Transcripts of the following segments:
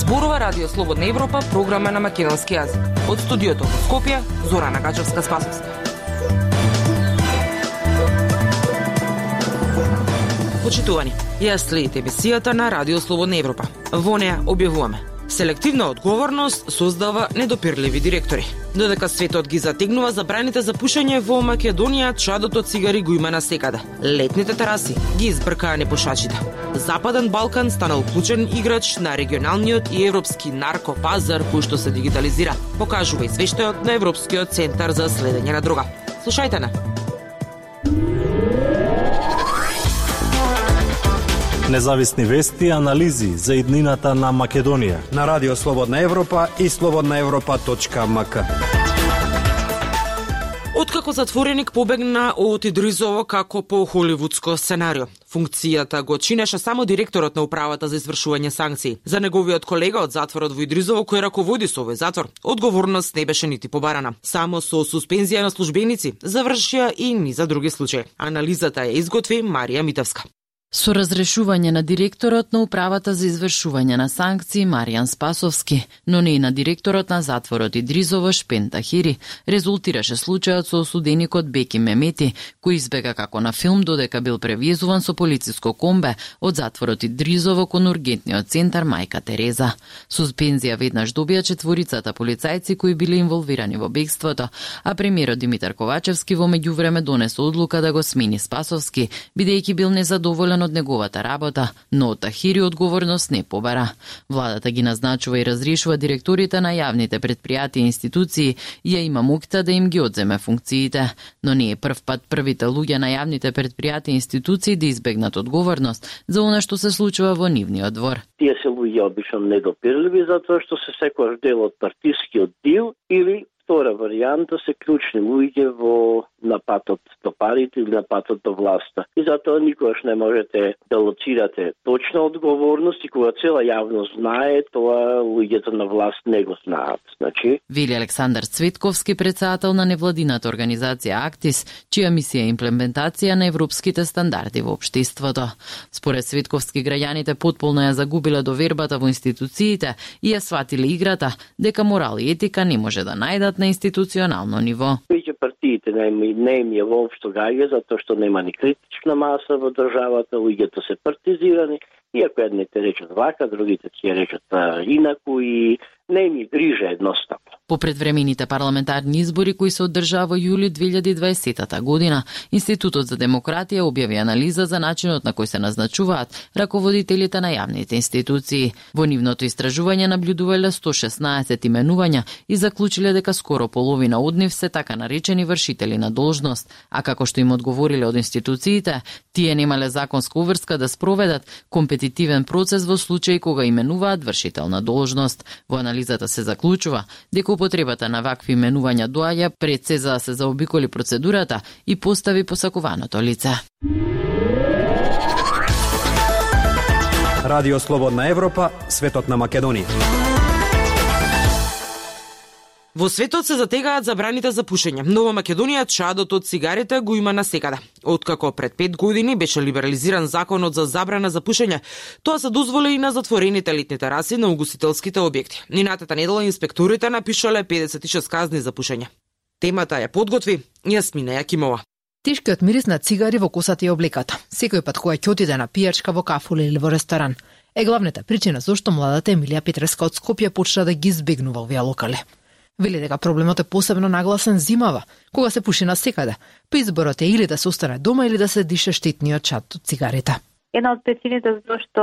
Зборува Радио Слободна Европа, програма на македонски јазик. Од студиото во Скопје, Зорана Гачевска-Спасовска. Почитувани, ја следите емисијата на Радио Слободна Европа. Во неа објавуваме: селективна одговорност создава недопирливи директори. Додека светот ги затегнува забраните за пушење во Македонија, чадото цигари го има насекаде. Летните тераси ги избркаа непушачите. Западен Балкан станал клучен играч на регионалниот и европски наркопазар кој што се дигитализира, покажува извештајот на Европскиот центар за следење на дрога. Слушајте на. Независни вести и анализи за иднината на Македонија на Радио Слободна Европа и slobodnaevropa.mk. Откако затвореник побегна од Идризово како по холивудско сценарио, функцијата го чинеше само директорот на управата за извршување санкции. За неговиот колега од затворот во Идризово кој раководи со овој затвор, одговорност не беше нити побарана. Само со суспензија на службеници завршија и низа други случаи. Анализата ја изготви Марија Митевска. Со разрешување на директорот на управата за извршување на санкции Маријан Спасовски, но не и на директорот на затворот Идризово Шпен Тахири, резултираше случајот со осуденикот Беки Мемети, кој избега како на филм додека бил превезуван со полициско комбе од затворот Идризово кон ургентниот центар Мајка Тереза. Суспензија веднаш добија четворицата полицајци кои биле инволвирани во бегството, а премиерот Димитар Ковачевски во меѓувреме донесе одлука да го смени Спасовски, бидејќи бил незадоволен од неговата работа, но од Тахири одговорност не побара. Владата ги назначува и разрешува директорите на јавните предпријатија и институции и ја има моќта да им ги одземе функциите. Но не е прв пат првите луѓе на јавните предпријатија и институции да избегнат одговорност за она што се случува во нивниот двор. Тие се луѓе обично недопирливи затоа што се секојаш дел од партискиот дил или втора варијанта се клучни луѓе во напатот до парите или напатот до власта. И затоа никогаш не можете да лоцирате точна одговорност и кога цела јавност знае, тоа луѓето на власт не го знаат. Значи, вели Александар Цветковски, председател на невладината организација Актис, чија мисија е имплементација на европските стандарди во општеството. Според Цветковски, граѓаните потполно ја загубиле довербата во институциите и ја сватиле играта дека морал и етика не може да најдат на институционално ниво. Веќе партиите не им е воопшто гаѓа, затоа што нема ни критична маса во државата, луѓето се партизирани, и ако едните речат вака, другите ќе речат инаку и не им грижа едноставно. По предвремените парламентарни избори кои се одржаа во јули 2020 година, Институтот за демократија објави анализа за начинот на кој се назначуваат раководителите на јавните институции. Во нивното истражување наблюдувале 116 именувања и заклучиле дека скоро половина од нив се така наречени вршители на должност, а како што им одговориле од институциите, тие немале законска уврска да спроведат компетитивен процес во случај кога именуваат вршител на должност. Во анализата се заклучува дека употребата на вакви именувања доаѓа пред се за да се заобиколи процедурата и постави посакуваното лице. Радио Слободна Европа, светот на Македонија. Во светот се затегаат забраните за пушење, но во Македонија чадот од цигарите го има насекаде. Откако пред 5 години беше либерализиран законот за забрана за пушење, тоа се дозволи и на затворените летни тераси на угостителските објекти. Минатата недела инспекторите напишале 56 казни за пушење. Темата ја подготви Јасмина Јакимова. Тешкиот мирис на цигари во косата и облеката. Секој пат кога ќе отиде на пијачка во кафуле или во ресторан, е главната причина зашто младата Емилија Петреска од Скопје почна да ги избегнува овие локали. Вели дека проблемот е посебно нагласен зимава, кога се пуши насекаде, па изборот е или да се остане дома или да се дише штетниот чад од цигарите. Една од причините зашто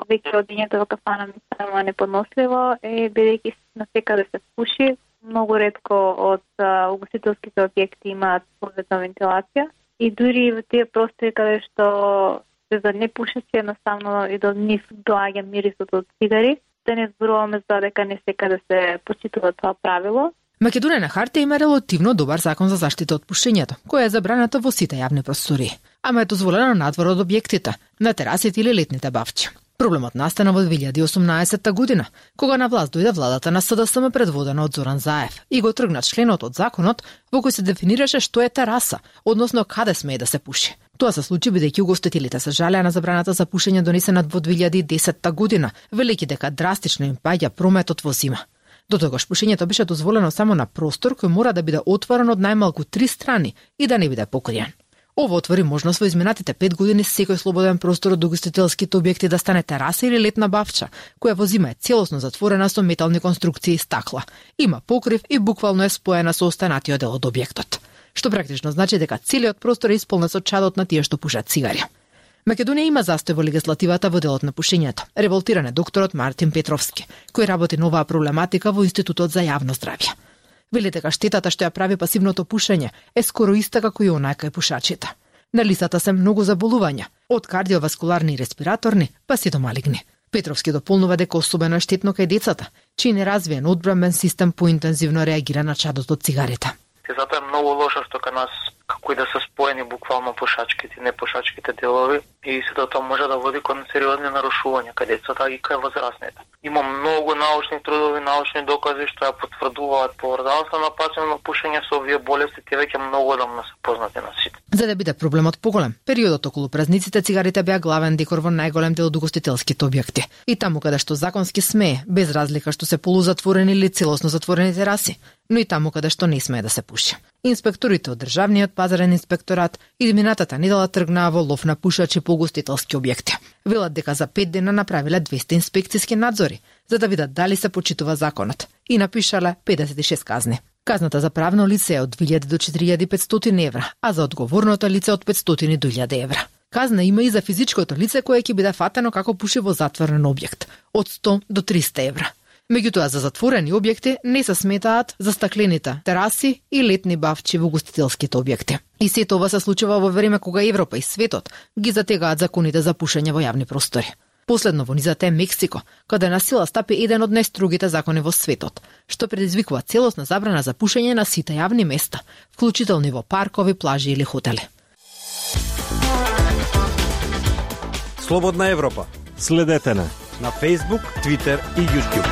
веќе одењето во кафана ми станува неподносливо е бидејќи насекаде се пуши, многу ретко од угостителските објекти имаат соодветна вентилација и дури во тие простори каде што се за непушачи едноставно и до нив доаѓа мирисот од цигари. Да не зборуваме за дека не секаде се почитува тоа правило. Македонија на хартија има релативно добар закон за заштита од пушењето, која е забраната во сите јавни простори, ама е дозволено надвор од објектите, на терасите или летните бавчи. Проблемот настана во 2018 година, кога на власт дојде владата на СДСМ предводена од Зоран Заев и го тргна членот од законот во кој се дефинираше што е тераса, односно каде смее да се пуши. Тоа се случи бидејќи угостителите се жалеа на забраната за пушење донесена во 2010 година, велејќи дека драстично им паѓа прометот во зима. До тогаш пушењето беше дозволено само на простор кој мора да биде отворен од најмалку 3 страни и да не биде покриен. Ово отвори можност во изминатите 5 години секој слободен простор од угостителските објекти да стане тераса или летна бавча, која во зима е целосно затворена со метални конструкции и стакла. Има покрив и буквално е споена со останатиот дел од објектот, што практично значи дека целиот простор е исполнет со чадот на тие што пушат цигари. Македонија има застој во легислативата во делот на пушењето, револтиран е докторот Мартин Петровски, кој работи на оваа проблематика во Институтот за јавно здравје. Вели дека штетата што ја прави пасивното пушење е скоро иста како и онаа кај пушачите. На листата се многу заболувања, од кардиоваскуларни и респираторни, па си до малигни. Петровски дополнува дека особено е штетно кај децата, чиј неразвиен одбранбен систем поинтензивно реагира на чадот од цигарите. Затоа е многу лошо што кај нас како и да се споени буквално пушачките и непушачките делови и сето тоа може да води кон сериозни нарушувања кај децата и кај возрастните. Има многу научни трудови, научни докази што ја потврдуваат поврзаноста на пасивно пушење со овие болести, тие веќе многу одамна се познати на сите. За да биде проблемот поголем, периодот околу празниците цигарите беа главен декор во најголем дел од угостителските објекти. И таму каде што законски смее, без разлика што се полузатворени или целосно затворени тераси, но и таму каде што не смее да се пуши. Инспекторите од Државниот пазарен инспекторат изминатата недела тргнаа во лов на пушачи по угостителски објекти. Велат дека за 5 дена направиле 200 инспекциски надзори, за да видат дали се почитува законот, и напишале 56 казни. Казната за правно лице е од 2000 до 4500 евра, а за одговорното лице од 500 до 1000 евра. Казна има и за физичкото лице кое ќе биде фатено како пуши во затворен објект, од 100 до 300 евра. Меѓутоа, за затворени објекти не се сметаат за стаклените тераси и летни бавчи во угостителските објекти. И сето ова се случува во време кога Европа и светот ги затегаат законите за пушење во јавни простори. Последно во низата е Мексико, каде на сила стапи еден од најстрогите закони во светот, што предизвикува целосна забрана за пушење на сите јавни места, вклучително во паркови, плажи или хотели. Слободна Европа. Следете на Facebook, Twitter и YouTube.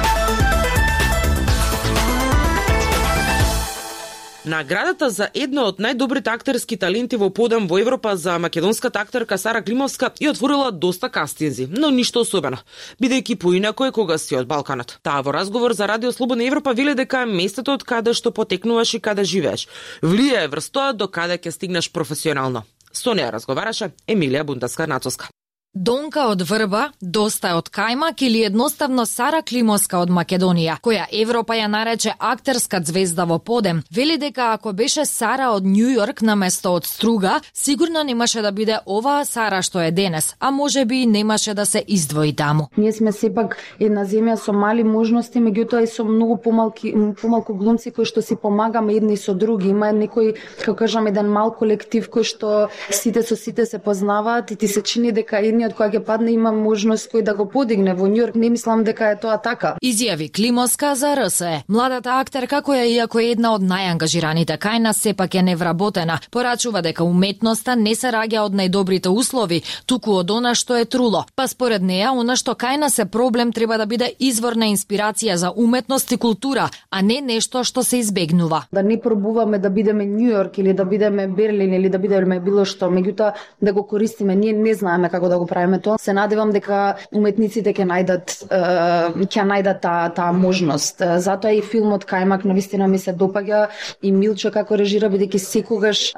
Наградата за една од најдобрите актерски таленти во подем во Европа за македонската актерка Сара Климовска ја отворила доста кастинзи, но ништо особено, бидејќи поинако е кога си од Балканот. Таа во разговор за Радио Слободна Европа веле дека местото од каде што потекнуваш и каде живееш влијае врз тоа до каде ќе стигнеш професионално. Со неа разговараше Емилија Бунтаска-Нацовска. Донка од Врба, доста од кајмак или едноставно Сара Климовска од Македонија, која Европа ја нарече актерска звезда во подем, вели дека ако беше Сара од Њу Јорк наместо од Струга, сигурно немаше да биде оваа Сара што е денес, а можеби и немаше да се издвои таму. Ние сме сепак една земја со мали можности, меѓутоа и со многу помалку глумци кои што си помагаме едни со други. Има некој, како кажам, еден мал колектив кој што сите со сите се познаваат и ти се чини дека од која ќе падне има можност кој да го подигне во Њујорк. Не мислам дека е тоа така. Изјави Климовска за РСЕ. Младата актерка која иако е една од најангажираните кај нас сепак е невработена, порачува дека уметноста не се раѓа од најдобрите услови, туку од она што е труло. Па според неа, она што кај нас е проблем треба да биде извор на инспирација за уметност и култура, а не нешто што се избегнува. Да не пробуваме да бидеме Њујорк или да бидеме Берлин или да бидеме било што, меѓутоа да го користиме, ние не знаеме како да го правиме тоа. Се надевам дека уметниците ќе најдат таа можност. Затоа и филмот Кајмак навистина ми се допаѓа и Милчо како режира, бидејќи секогаш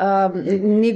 не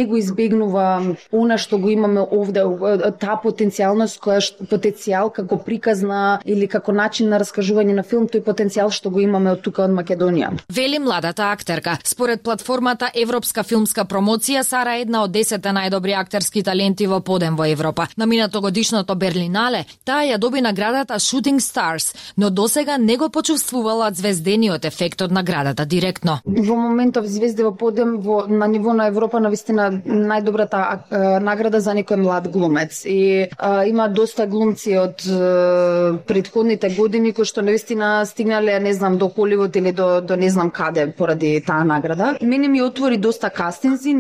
го избегнува она што го имаме овде, таа потенцијалност потенцијал како приказна или како начин на раскажување на филм, тој потенцијал што го имаме од тука од Македонија. Вели младата актерка. Според платформата Европска филмска промоција, Сара е една од 10 најдобри актерски таленти во подем во Европа. На минатогодишното Берлинале, таа ја доби наградата Shooting Stars, но досега не го почувствувала звездениот ефект од наградата директно. Во моментов звезди во подем на ниво на Европа навистина најдобрата награда за некој млад глумец. И има доста глумци од претходните години кои што навистина стигнале, не знам, до Холивуд или до не знам каде поради таа награда. Мене ми отвори доста кастинзи,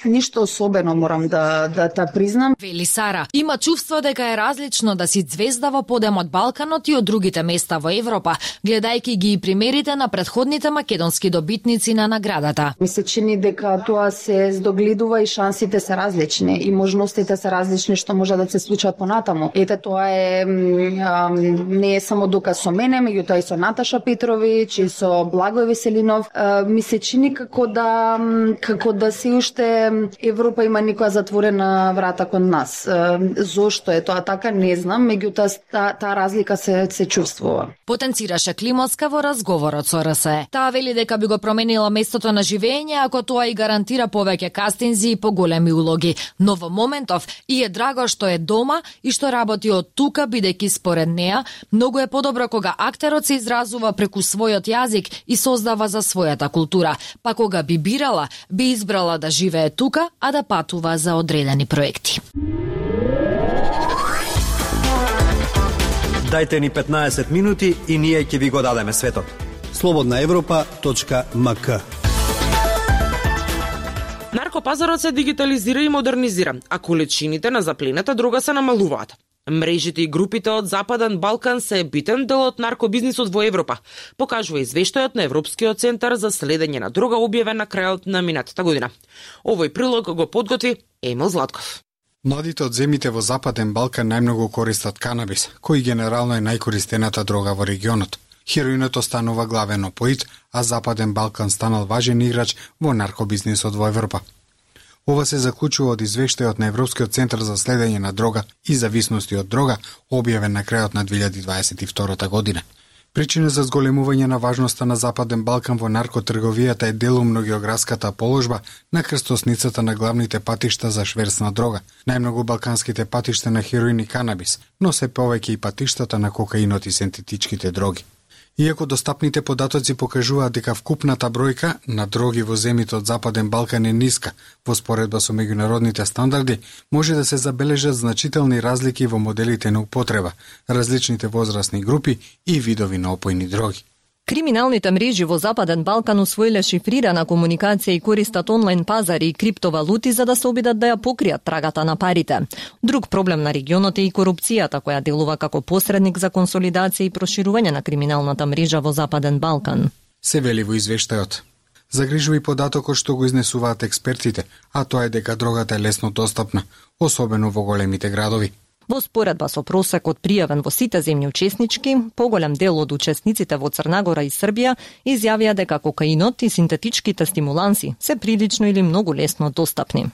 ништо особено морам да да та признам. Вели Сара, има чувство дека е различно да си звезда во подем од Балканот и од другите места во Европа, гледајќи ги и примерите на претходните македонски добитници на наградата. Ми се чини дека тоа се здогледува и шансите се различни и можностите се различни што може да се случат понатаму. Ете, тоа е не е само доказ со мене, меѓутоа и со Наташа Петрович и со Благој Веселинов. Ми се чини како да се уште Европа има некоја затворена врата кон нас. Зошто е тоа така, не знам, меѓутоа таа разлика се чувствува. Потенцираше Климовска во разговорот со РСЕ. Таа вели дека би го променила местото на живење ако тоа и гарантира повеќе кастинзи и поголеми улоги. Но во моментов и е драго што е дома и што работи од тука, бидејќи според неа многу е подобро кога актерот се изразува преку својот јазик и создава за својата култура. Па кога би бирала, би избрала да живее тука, а да патува за одредени проекти. Дајте ни 15 минути и ние ќе ви го дадеме светот. slobodnaevropa.mk. Наркопазарот се дигитализира и модернизира, а количините на заплената дрога се намалуваат. Мрежите и групите од Западен Балкан се битен дел од наркобизнисот во Европа, покажува извештајот на Европскиот центар за следење на дрога објавен на крајот на минатата година. Овој прилог го подготви Емил Златков. Младите од земјите во Западен Балкан најмногу користат канабис, кој генерално е најкористената дрога во регионот. Хероинот останува главен опоит, а Западен Балкан станал важен играч во наркобизнисот во Европа. Ова се заклучува од извештајот на Европскиот центар за следење на дрога и зависности од дрога, објавен на крајот на 2022 година. Причина за зголемување на важноста на Западен Балкан во наркотрговијата е делумно географската положба на крстосницата на главните патишта за шверц на дрога, најмногу балканските патишта на хероин и канабис, но се повеќе и патиштата на кокаинот и синтетичките дроги. Иако достапните податоци покажуваат дека вкупната бројка на дроги во земјите од Западен Балкан е ниска, во споредба со меѓународните стандарди, може да се забележат значителни разлики во моделите на употреба, различните возрастни групи и видови на опојни дроги. Криминалните мрежи во Западен Балкан усвоиле шифрирана комуникација и користат онлайн пазари и криптовалути за да се обидат да ја покријат трагата на парите. Друг проблем на регионот е и корупцијата, која делува како посредник за консолидација и проширување на криминалната мрежа во Западен Балкан. Се вели во извештајот. Загрижува и податокот што го изнесуваат експертите, а тоа е дека дрогата е лесно достапна, особено во големите градови. Во споредба со просекот пријавен во сите земји учеснички, поголем дел од учесниците во Црнагора и Србија изјавија дека кокаинот и синтетичките стимуланси се прилично или многу лесно достапни.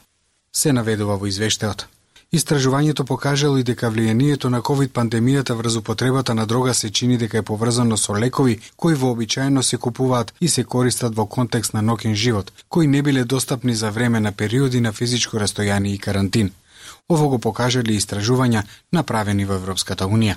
Се наведува во извештајот. Истражувањето покажало и дека влијанието на ковид пандемијата врз употребата на дрога се чини дека е поврзано со лекови кои вообичаено се купуваат и се користат во контекст на ноќен живот, кои не биле достапни за време на периоди на физичко растојание и карантин. Ово го покажале истражувања направени во Европската Унија.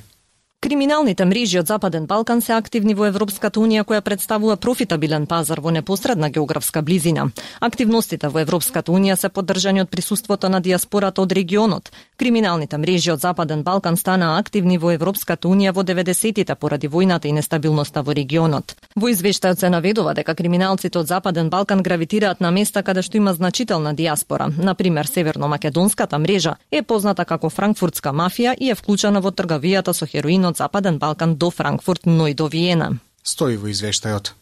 Криминалните мрежи од Западен Балкан се активни во Европската Унија, која представува профитабилен пазар во непосредна географска близина. Активностите во Европската Унија се поддржани од присуството на диаспората од регионот. Криминалните мрежи од Западен Балкан станаа активни во Европската Унија во 90-тите поради војната и нестабилноста во регионот. Во извештајот се наведува дека криминалците од Западен Балкан гравитираат на места каде што има значителна диаспора. Например, северно-македонската мрежа е позната како франкфуртска мафија и е вклучена во трговијата со хероин од Западен Балкан до Франкфурт, но и до Виена. Стои во извештајот.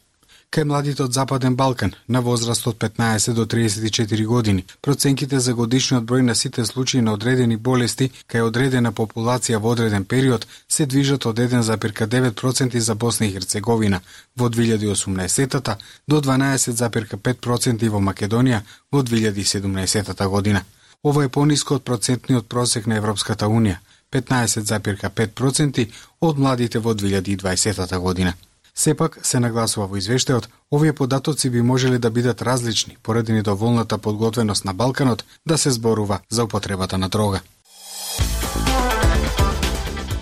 Кај младите од Западен Балкан, на возраст од 15 до 34 години, проценките за годишниот број на сите случаи на одредени болести кај одредена популација во одреден период се движат од 1,9% за Босна и Херцеговина во 2018 до 12,5% во Македонија во 2017 година. Ова е пониско од процентниот просек на Европската Унија, 15,5% од младите во 2020 година. Сепак, се нагласува во извештајот, овие податоци би можеле да бидат различни поради недоволната подготвеност на Балканот да се зборува за употребата на дрога.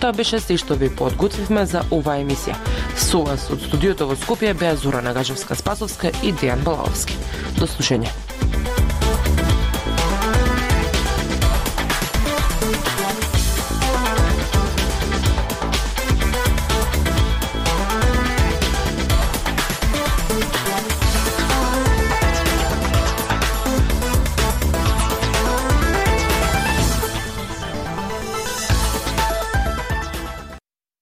Тоа беше се што ви подготвивме за оваа емисија. Со вас од студиото во Скопје беа Зора Нагажевска-Спасовска и Дејан Балаовски. До слушање.